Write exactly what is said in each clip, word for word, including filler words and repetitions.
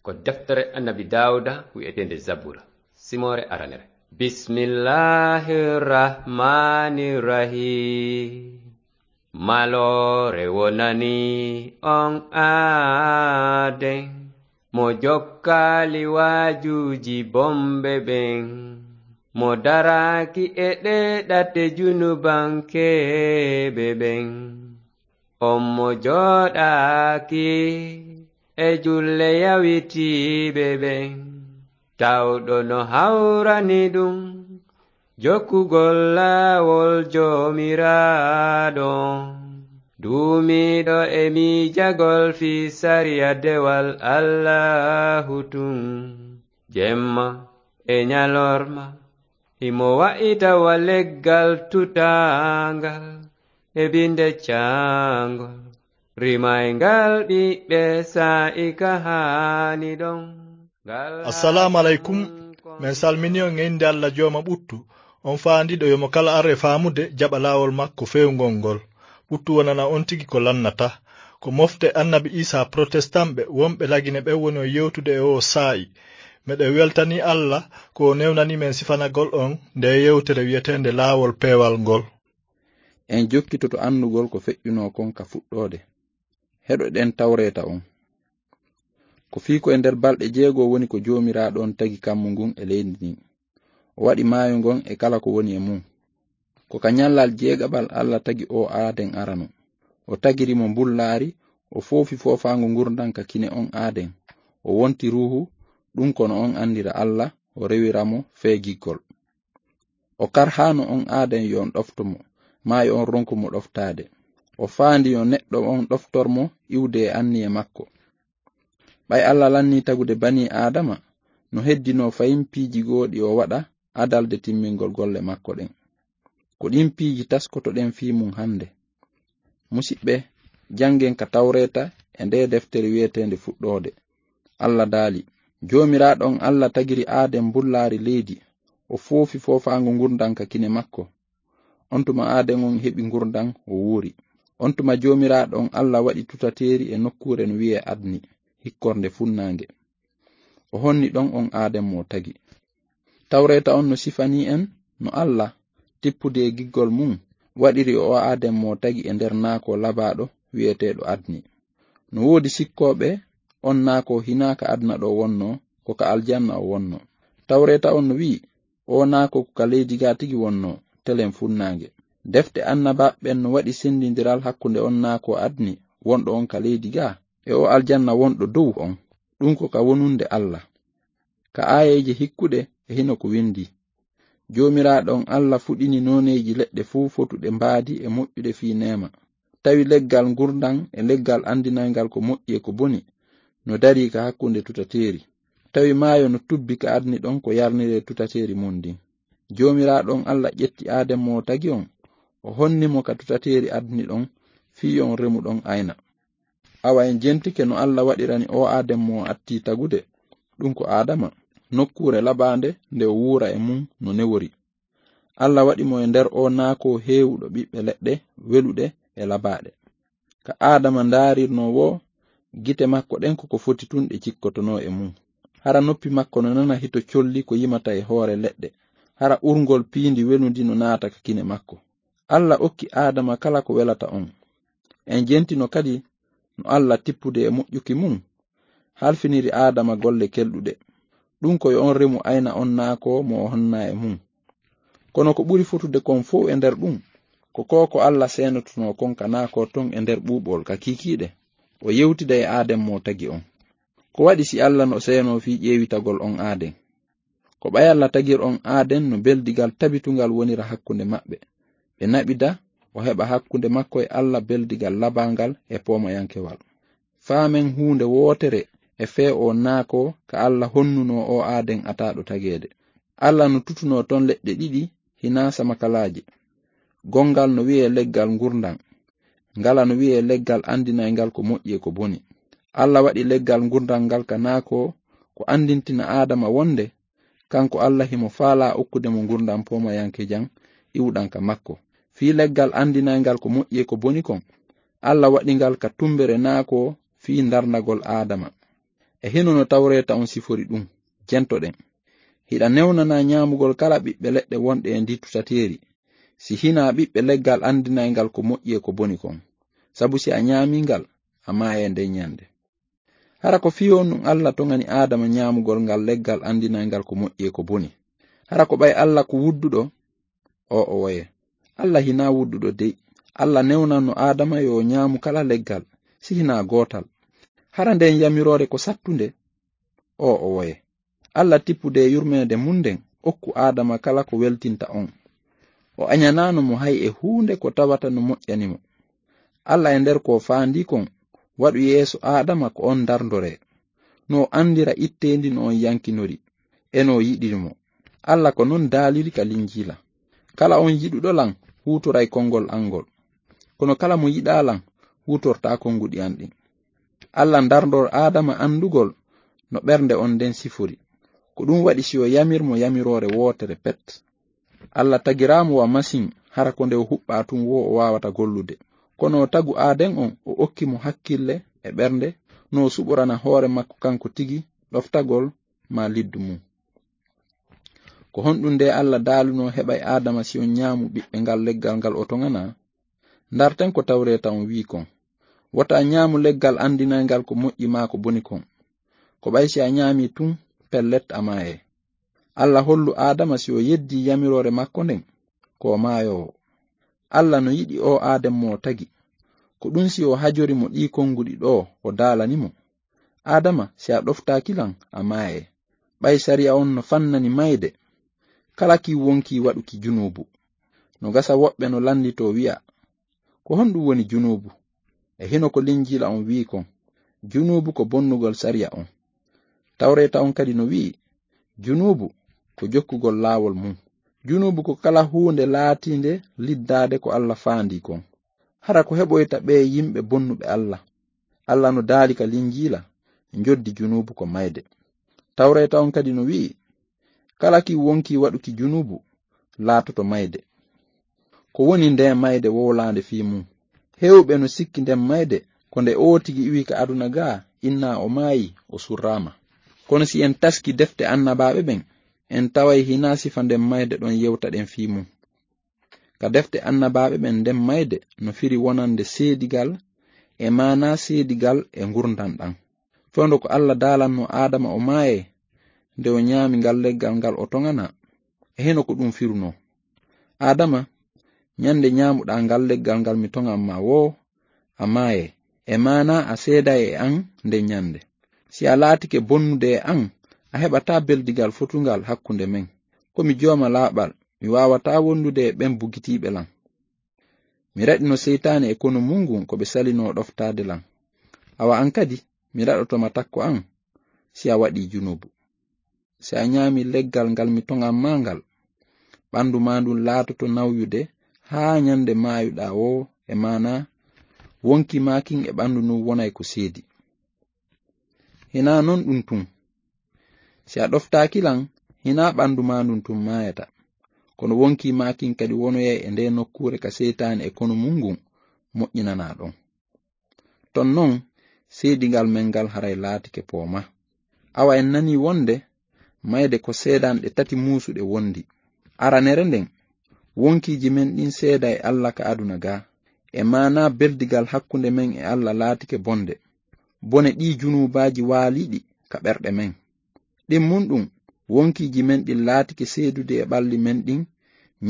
Ko deftere Annabi Daawuda wi'eteende Zabura, simoore aranere. Bismillahir Rahmanir Rahim. Maloore wonani on aaden, mo jokkaali waajuuji bomɓe ɓen, mo daraaki e ɗee ɗate junubankeeɓe ɓen. On mo jooɗaaki e julle yawitiiɓe ɓen, tawɗo no hawrani ɗum jokkugol laawol Joomiraaɗo, duumiiɗo e miijagol fii sariya dewal Allaahu tun, jemma e ñalorma. Himo wa'ita wa leggal tutaangal e binde caangol, rimayngal ɓiɓɓe saa'i ka haani ɗon. Ngal Assalaamu aleykum. Min salmini on e innde Alla Jooma ɓuttu, on faandiiɗo yo mo kala ar e faamude jaɓa laawol makko feewngol ngol. Ɓuttu wonana on tigi ko lannata. Ko mofte Annabi Iisaa Protestanɓe wonɓe Lagine ɓen woni on yewtude e oo saa'i. Meɗen weltanii Alla ko o newnanii men sifanagol on ndee yewtere wi'eteende Laawol Peewal ngol. En jokkitoto anndugol ko feƴƴunoo kon ka fuɗɗoode. Heɗoɗen Tawreeta on. Ko fii ko e nder balɗe jeego woni ko Joomiraaɗo on tagi kammu ngun e leydi ndin. O waɗi maayo ngon e kala ko woni e mun. Ko ka ñallal jeegaɓal Alla tagi oo aaden arano. O tagiri mo mbullaari, o foofi foofaango ngurndan ka kine on aaden. O wonti ruuhu, ɗun ko no on anndira Alla, o rewira mo fee giggol. O karhaano on aaden yo on ɗofto mo, maa yo on ronku mo ɗoftaade. O faandi yo neɗɗo on ɗoftor mo iwde e anniye makko. Ɓay Alla lannii tagude banii Aadama, no heddinoo fayin piiji goo ɗi o waɗa adalde timmingol golle makko ɗen. Ko ɗin piiji taskotoɗen fii mun hannde. Musiɓɓe, janngen ka Tawreeta e ndee deftere wi'eteende Fuɗɗoode. Alla daali, Joomiraaɗo on Alla tagiri aaden mbullaari leydi, o foofi foofaango ngurndan ka kine makko. On tuma aaden on heɓi ngurndan, o wuuri. On tuma Joomiraaɗo on Alla waɗi tutateeri e nokkuure no wi'ee Adni, hikkorde funnaange. O honni ɗon on aaden mo o tagi. Tawreeta on no sifanii en no Alla, tippude e giggol mun, waɗiri o aaden mo o tagi e nder naakoo labaaɗo wi'eteeɗo Adni. No woodi sikkooɓe on naakoo hinaa ka aduna ɗoo wonnoo, ko ka aljanna o wonnoo. Tawreeta on no wi'i, oo naakoo ko ka leydi gaa tigi wonnoo, telen funnaange. Defte annabaaɓe ɓen no waɗi senndindiral hakkunde on naakoo Adni wonɗo on ka leydi gaa e oo aljanna wonɗo dow on. Ɗun ko ka wonunde Alla. Ka aayeeje hikkuɗe e hino ko windii. Joomiraaɗo on Alla fuɗini nooneeji leɗɗe fow fotuɗe mbaadi e moƴƴuɗe fii neema. Tawi leggal ngurndan e leggal anndinayngal ko moƴƴi e ko boni no darii ka hakkunde tutateeri. Tawi maayo no tubbi ka Adni ɗon ko yarniree tutateeri mun ndin. Joomiraaɗo on Alla ƴetti aaden mo o tagi on, o honni mo ka tutateeri Adni ɗon fii yo on remu ɗon ayna. Awa en jentike no Alla waɗirani oo aaden mo o attii tagude, ɗun ko Aadama, nokkuure labaande nde o wuura e mun no newori. Alla waɗi mo e nder oo naakoo heewuɗo ɓiɓɓe leɗɗe weluɗe e labaaɗe. Ka Aadama ndaarirnoo woo, gite makko ɗen ko ko foti tun ɗe cikkotonoo e mun. Hara noppi makko no nana hito colli ko yimata e hoore leɗɗe. Hara urngol piindi welundi no naata ka kine makko. Alla okki Aadama kala ko welata on. En jentino kadi no Alla tippude e moƴƴuki mun, halfiniri Aadama golle kelɗuɗe. Ɗun ko yo on remu ayna on naakoo mo o honna e mun. Kono ko ɓuri fotude kon fow e nder ɗun, ko koo ko Alla seenotonoo kon ka naakoo ton e nder ɓuuɓol ka kiikiiɗe, o yewtida e aaden mo tagi on. Ko waɗi si Alla no seenoo fii ƴeewitagol on aaden? Ko ɓay Alla tagir on aaden no beldigal tabitungal wonira hakkunde maɓɓe. Ɓe naɓida, o heɓa hakkunde makko e Alla beldigal labaangal e poomayankewal. Faamen huunde wootere e fee oo naakoo ka Alla honnunoo oo aaden ataaɗo tageede. Alla no tutunoo ton leɗɗe ɗiɗi hinaa samakalaaje. Gonngal no wi'ee leggal ngurndan. Ngala no wi'ee leggal anndinayngal ko moƴƴi e ko boni. Alla waɗi leggal ngurndan ngal ka naakoo ko anndintina Aadama wonde kanko Alla himo faalaa okkude mo ngurndan poomayankejan iwuɗan ka makko. Fii leggal anndinayngal ko moƴƴi e ko boni kon, Alla waɗi ngal ka tumbere naakoo fii ndarndagol Aadama. E hino no tawreeta on sifori ɗum, jentoɗen. Hiɗa newnana ñaamugol kala ɓiɓɓe leɗɗe wonɗe e ndi tutateeri, si hinaa ɓiɓɓe leggal anndinayngal ko moƴƴi e ko boni kon. Sabu si a ñaamii ngal, a maayay nden ñande. Hara ko fii honɗun Alla toŋani Aadama ñaamugol ngal leggal anndinayngal ko moƴƴi e ko boni? Hara ko ɓay Alla ko wudduɗo? O'o woye. Alla hinaa wudduɗo dey. Alla newnanno Aadama yo o ñaamu kala leggal, si hinaa gootal. Hara nden yamiroore ko sattunde? O'o woye. Alla tippude e yurmeende mun nden, okku Aadama kala ko weltinta on. O añanaano mo hay e huunde ko tawata no moƴƴani mo. Alla e nder ko faandii kon, waɗu yeeso Aadama ko on ndarndoree. No o anndira itteendi no on yankinori, e no o yiɗiri mo. Alla ko non daaliri ka Linjiila. Kala on yiɗuɗo lan, huutoray konngol an ngol. Kono kala mo yiɗaa lan, huutortaa konnguɗi an ɗin. Alla ndarndor Aadama anndugol no ɓernde on nden sifori. Ko ɗum waɗi si o yamir mo yamiroore wootere pet. Alla tagiraa mo wa masin, hara ko nde o huɓɓaa tun woo o waawata gollude. Kono o tagu aaden on, o okki mo hakkille e ɓernde, no o suɓorana hoore makko kanko tigi ɗoftagol maa liddu mum. Ko honɗum nde Alla daalunoo heɓay Aadama si on ñaamu ɓiɓɓe ngal leggal ngal o toŋanaa? Ndarten ko tawreeta on wi'i kon. Wota ñaamu leggal anndinayngal ko moƴƴi maa ko boni kon. Ko ɓay si a ñaamii tun, pellet a maayay. Alla hollu Aadama si o yeddii yamiroore makko nden, ko o maayoowo. Alla no yiɗi oo aaden mo o tagi. Ko ɗum si o hajori mo ɗii konnguɗi ɗoo o daalani mo. Aadama, si a ɗoftaaki lan, a maayay. Ɓay sariya on no fannani mayde, kala ki wonkii waɗuki junuubu. No gasa woɓɓe no lannditoo wi'a, ko honɗum woni junuubu? E hino ko Linjiila on wi'i kon, junuubu ko bonnugol sariya on. Tawreeta on kadi no wi'i, junuubu ko jokkugol laawol mum. Junuubu ko kala huunde laatiinde liddaade ko Alla faandii kon. Hara ko heɓoyta ɓee yimɓe bonnuɓe Alla? Alla no daali ka Linjiila, njoddi junuubu ko mayde. Tawreeta on kadi no wi'i, kala ki wonkii waɗuki junuubu laatoto mayde. Ko woni ndee mayde wowlaande fii mum? Heewɓe no sikki nden mayde ko nde oo tigi iwi ka aduna gaa, innaa o maayi, o surraama. Kono si en taski defte annabaaɓe ɓen, en taway hinaa sifa nden mayde ɗon yewtaɗen fii mum. Ka defte annabaaɓe ɓen, nden mayde no firi wonande seedigal, e maanaa seedigal e ngurndan ɗan. Fewndo ko Alla daalanno Aadama o maayee nde o ñaami ngal leggal ngal o toŋanaa, e hino ko ɗum firunoo. Aadama, ñande ñaamuɗaa ngal leggal ngal mi toŋan maa woo, a maayay. E maanaa a seeday e an nden ñande. Si a laatike bonnude e an, a heɓataa beldigal fotungal hakkunde men. Ko mi jooma laaɓal, mi waawataa wondude e ɓen bugitiiɓe lan. Mi raɗino seytaane e konu mun ngun ko ɓe salinoo ɗoftaade lan. Awa an kadi, mi raɗoto ma takko an, si a waɗii junuubu. Si a ñaami leggal ngal mi toŋan maa ngal, ɓandu maa ndun laatoto nawyude haa ñande maayuɗaa woo, e maanaa wonkii maa kin e ɓandu ndun wonay ko seedi. Hinaa non ɗun tun. Si a ɗoftaaki lan, hinaa ɓandu maa ndun tun maayata. Kono wonkii maa kin kadi wonoyay e ndee nokkuure ka seytaane e konu mun ngun moƴƴinanaa ɗon. Ton non, seedigal men ngal haray laatike pooma. Awa en nanii wonde mayde ko seedanɗe tati muusuɗe wondi. Aranere nden, wonkiiji men ɗin seeda e Alla ka aduna gaa. E maanaa beldigal hakkunde men e Alla laatike bonde. Bone ɗii junuubaaji waaliiɗi ka ɓerɗe men. Ɗimmun ɗum, wonkiiji men ɗin laatike seedude e ɓalli men ɗin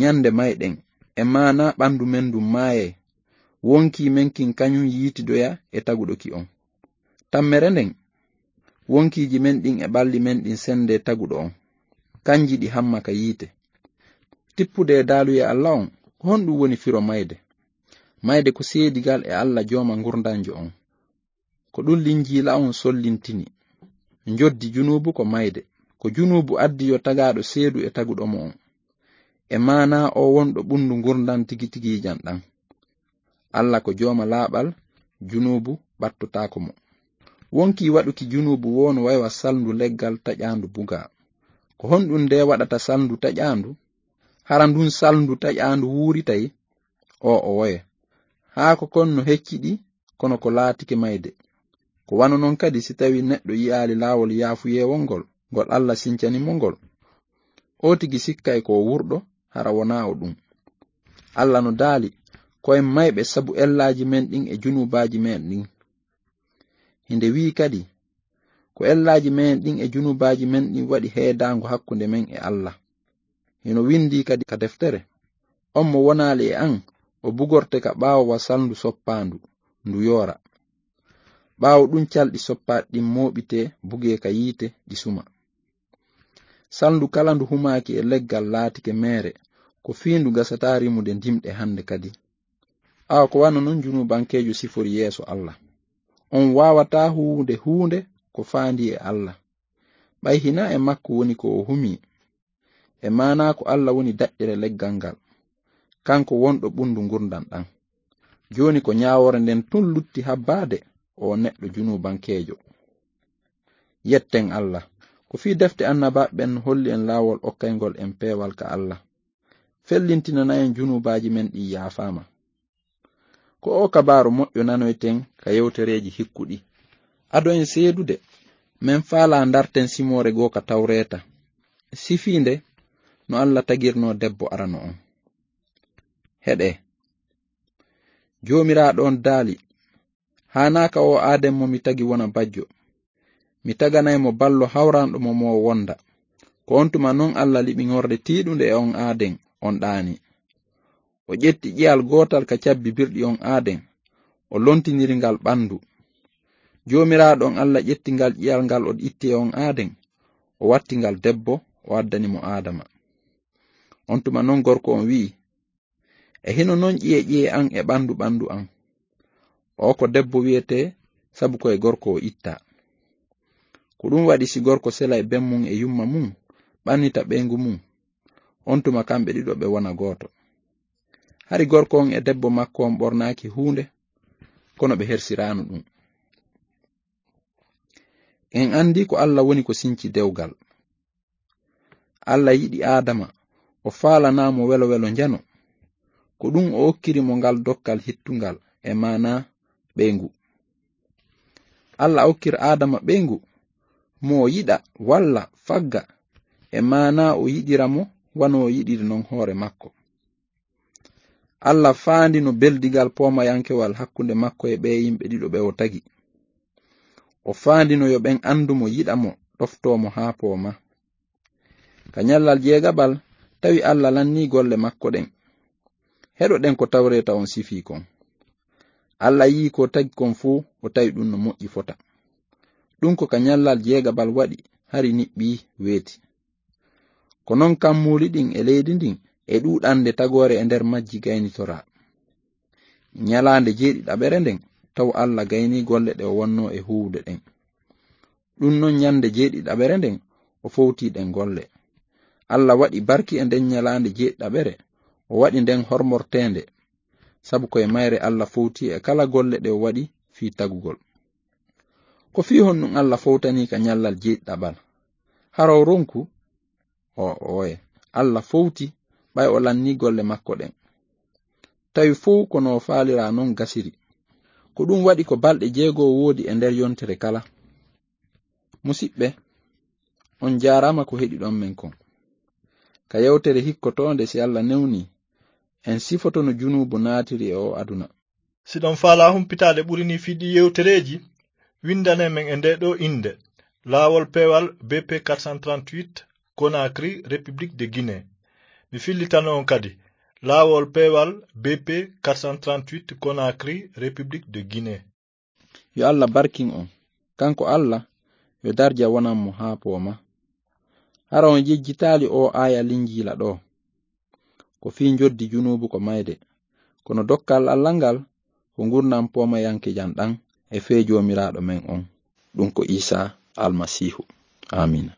ñande mayɗen, e maanaa ɓandu men ndun maayay. Wonkii men kin kañun yiitidoya e taguɗo ki on. Tammere nden, wonkiiji men ɗin e ɓalli men ɗin sende taguɗo on. Kanji ɗi hamma ka yiite. Tippude e daaluye Alla on, ko honɗum woni firo mayde? Mayde ko seedigal e Alla jooma ngurndanjo on. Ko ɗum Linjiila on sollintini. Njoddi junuubu ko mayde. Ko junuubu addi yo tagaaɗo seedu e taguɗo mo on. E maanaa o wonɗo ɓundu ngurndan tigi tigiijan ɗan. Alla ko jooma laaɓal, junuubu ɓattotaako mo. Wonkii waɗuki junuubu woo no way wa salndu leggal taƴaandu bugaa. Ko honɗum nde waɗata salndu taƴaandu? Hara ndun salndu taƴaandu wuuritay? O'o woye. Haako kon no hecciɗi, kono ko laatike mayde. Ko wano non kadi si tawi neɗɗo yi'aali laawol yaafuyeewol ngol, ngol Alla sincani mo ngol, o tigi sikkay ko o wurɗo, hara wonaa o ɗum. Alla no daali, ko en mayɓe sabu ellaaji men ɗin e junuubaaji men ɗin. Hinde wi'i kadi, ko ellaaji men ɗin e junuubaaji men ɗin waɗi heedaango hakkunde men e Alla. Hino windii kadi ka deftere, "On mo wonaali e an, o bugorte ka ɓaawo wa salndu soppaandu, ndu yoora. Ɓaawo ɗum calɗi soppaaɗi ɗin mooɓitee, bugee ka yiite, ɗi suma." Salndu kala ndu humaaki e leggal laatike meere, ko fii ndu gasataa rimude ndimɗe hande kadi. Awa ko wano non junuubankeejo sifori yeeso Alla. On waawataa huwude huunde ko faandi e Alla. Ɓay hinaa e makko woni ko o humii. E maanaa ko Alla woni daƴƴere leggal ngal. Kanko wonɗo ɓundu ngurndan ɗan. Jooni ko ñaawoore nden tun lutti habbaade o neɗɗo junuubankeejo. Yetten Alla. Ko fii defte annabaaɓe ɓen holli en laawol okkayngol en peewal ka Alla. Fellintinana en junuubaaji men ɗin yaafaama. Ko o kabaaru moƴƴo nanoyten ka yewtereeji hikkuɗi. Ado en seedude, men faalaa ndarten simoore goo ka Tawreeta. Sifiinde no Alla tagirnoo debbo arano on. Heɗee. Joomiraaɗo on daali, "Haanaaka o aaden mo mi tagi wona bajjo. Mi taganay mo ballo hawranɗo mo mo wonda." Ko on tuma non Alla liɓi ŋorde tiiɗunde e on aaden, on ɗaani. O ƴetti ƴiyal gootal ka cabbi birɗi on aaden, o lontiniri ngal ɓandu. Joomiraaɗo on Alla ƴetti ngal ƴiyal ngal o itti e on aaden, o watti ngal debbo, o addani mo Aadama. On tuma non gorko on wi'i, "E hino non ƴiye ƴiye an e ɓandu ɓandu an. O ko debbo wi'etee, sabu ko e gorko o itta." Ko ɗum waɗi si gorko sela e ben mum e yumma mum, ɓannita ɓeyngu mum, on tuma kamɓe ɗiɗo ɓe wona gooto. Hari gorko on e debbo makko on ɓornaaki huunde, kono ɓe hersiraano ɗum. En anndi ko Alla woni ko sinci dewgal. Alla yiɗi Aadama, o faalanaa mo welo welo njano. Ko ɗum o okkiri mo ngal dokkal hittungal, e maanaa ɓeyngu. Alla okkir Aadama ɓeyngu, mo o yiɗa, walla fagga, e maanaa o yiɗira mo, wano o yiɗiri non hoore makko. Alla faandino beldigal poomayankewal hakkunde makko e ɓee yimɓe ɗiɗo ɓe o tagi. O faandino yo ɓen anndu mo, yiɗa mo, ɗoftoo mo haa pooma. Ka ñallal jeegaɓal, tawi Alla lannii golle makko ɗen. Heɗoɗen ko Tawreeta on sifii kon. Alla yi'i ko tagi kon fow, o tawi ɗum no moƴƴi fota. Ɗum ko ka ñallal jeegaɓal waɗi, hari niɓɓii weeti. Ko non kammuuli ɗin e leydi ndin e ɗuuɗande tagoore e nder majji gaynitoraa. Ñalaande jeeɗiɗaɓere nden, taw Alla gaynii golle ɗe o wonnoo e huuwude ɗen. Ɗum non ñande jeeɗiɗaɓere nden, o fowtii ɗen golle. Alla waɗi barki e nden ñalaande jeeɗiɗaɓere, o waɗi nden hormorteende, sabu ko e mayre Alla fowtii e kala golle ɗe o waɗi fii tagugol. Ko fii honɗum Alla fowtanii ka ñallal jeeɗiɗaɓal? Hara o ronku? O, ooye. Alla fowti, ɓay o lannii golle makko ɗen. Tawi fow ko no o faaliraa non gasiri. Ko ɗum waɗi ko balɗe jeego woodi e nder yontere kala. Musiɓɓe, on jaaraama ko heɗiɗon men kon. Ka yewtere hikkotoonde, si Alla newni, en sifoto no junuubu naatiri e o aduna. Si ɗon faalaa humpitaade ɓuri nii fii ɗii yewtereeji, winndane men e ndee ɗoo innde, Laawol Peewal B P quatre cent trente-huit, Conakry, République de Guinée. Mi fillitano on kadi, Laawol Peewal B P quatre cent trente-huit, Conakry, République de Guinée. Yo Alla barkin on. Kanko Alla, yo darja wonan mo haa pooma. Hara on yejjitaali oo aaya Linjiila ɗoo? Ko fii njoddi junuubu ko mayde. Kono dokkal Alla ngal, ko ngurndan poomayankejan ɗan e fee Joomiraaɗo men on. Ɗum ko Iisaa Almasiihu. Aamiina.